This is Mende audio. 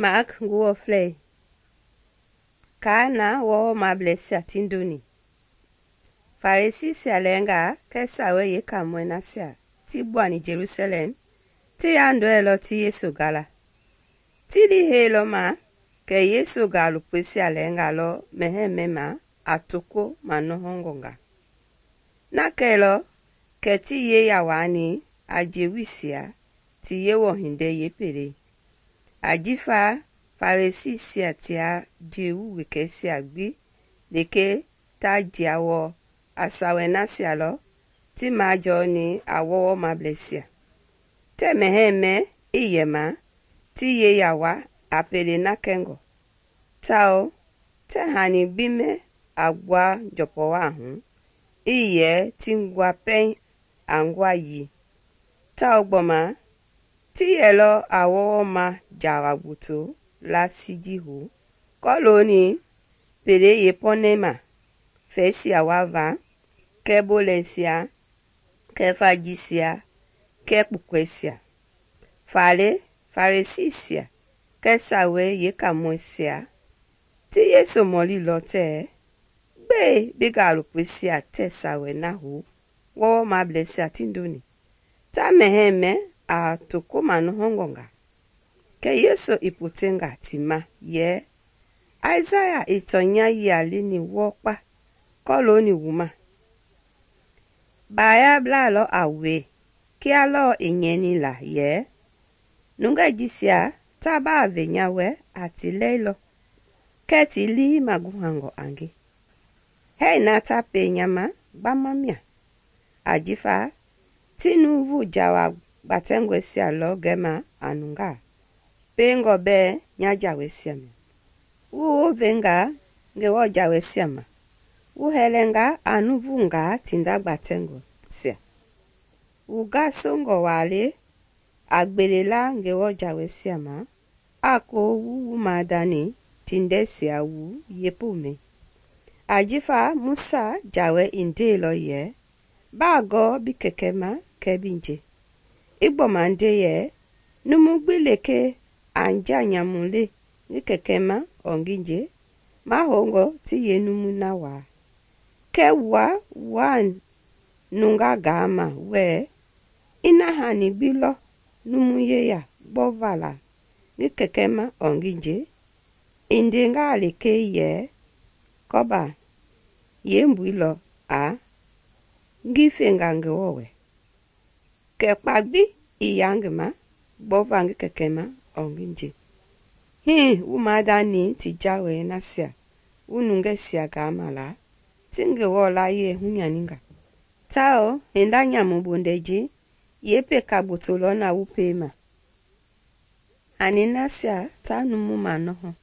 Mark nguwɔflɛi kaa na wɔwɔmableisia ti ndoni. Farisisia lɛɛngaa kɛɛ Sawei Yeekaamɔi nasia ti gbuani Jelusalɛm ti yandɔɛilɔ ti Yesu gala. Ti liiheilɔ ma kɛ Yesu gaalopoisia lɛɛnga lɔ mɛhɛɛ ma a toko manɔhɔngɔnga. Na kɛilɔ kɛ ti yeya waani a Jewuisia ti Yewɔ hindei yeepelei. Ajifa Farisisia tia Jewu wekɛisia gbi lekee ta jia wɔɔ a Sawei nasia lɔ ti majɔɔni a wɔwɔmableisia. Tɛɛ mɛhɛɛ mɛ ii yɛ ma ti yeya wa a pele na kɛngɔ, tawao tɛɛ hani gbi mɛ a gbua njɔpɔwaa hu ii yɛ ti gbua pɛiŋ a ngua yii, tawao gbɔma ti yɛlɔ a wɔwɔma jawa gboto laasi ji hu kɔlooni pelei yeepɔnɛma fɛisia wava kɛɛ bolɛisia kɛɛ vajisia kɛɛ kpukɛisia. Faale Farisisia kɛɛ Sawei Yeekaamɔisia ti Yesu mɔlilɔ tɛɛ, gbɛe bi gaalopoisia tɛɛ Sawei na hu wɔwɔmableisia ti ndoni, ta mɛhɛɛ mɛ a toko manɔhɔngɔnga? Kɛ Yesu i potenga ti ma yɛ, Aisaya i tɔnya yia leni wɔɔkpa kɔlooni wu ma. Baayablaa lɔ a wue kia lɔɔ i nyɛni la yɛ, nungɛi jisia ta baa ve nya wɛ a ti lɛilɔ kɛɛ ti lii maguhangɔ a nge. Hɛɛ na ta pie nya ma gbama mia, ajifa ti nuuvu jawa gbatɛngɔisia lɔ gɛma a nungaa, piengɔ bɛɛ nya jaweisia mia. Wu wovenga Ngewɔ jaweisia ma, wu hɛlɛnga a nuvungaa tinda gbatɛngɔisia. Wu gasongɔ waa le a gbelela Ngewɔ jaweisia ma, a ko wu wumadani tindɛisia wu yeepomɛi. Ajifa Musa jawɛ i ndeilɔ yɛ, baa gɔɔ bi kɛkɛ ma kɛɛ bi nje. I gbɔma nde yɛ, numu gbi lekee a nja nyamu le ngi kɛkɛ ma ɔɔ ngi nje, mahoungɔ ti yeenumu na waa. Kɛɛ wua waa nunga gaama wɛɛ, ina hani gbi lɔ numu yeya gbɔva la ngi kɛkɛ ma ɔɔ ngi nje, i ndengaa lekee yɛ, kɔba yeembui lɔ a ngi fenga Ngewɔ wɛ. Kɛ kpa gbi i yaa ngi ma gbɔva ngi kɛkɛ ma ɔɔ ngi nje. Hii wu madani ti jawei nasia wu nungɛisia gaama la ti Ngewɔ layie hunyaninga, tawao hinda nyamu bondɛi ji yeepeka gboto lɔ na wu piema. Hani nasia ta numu manɔhɔ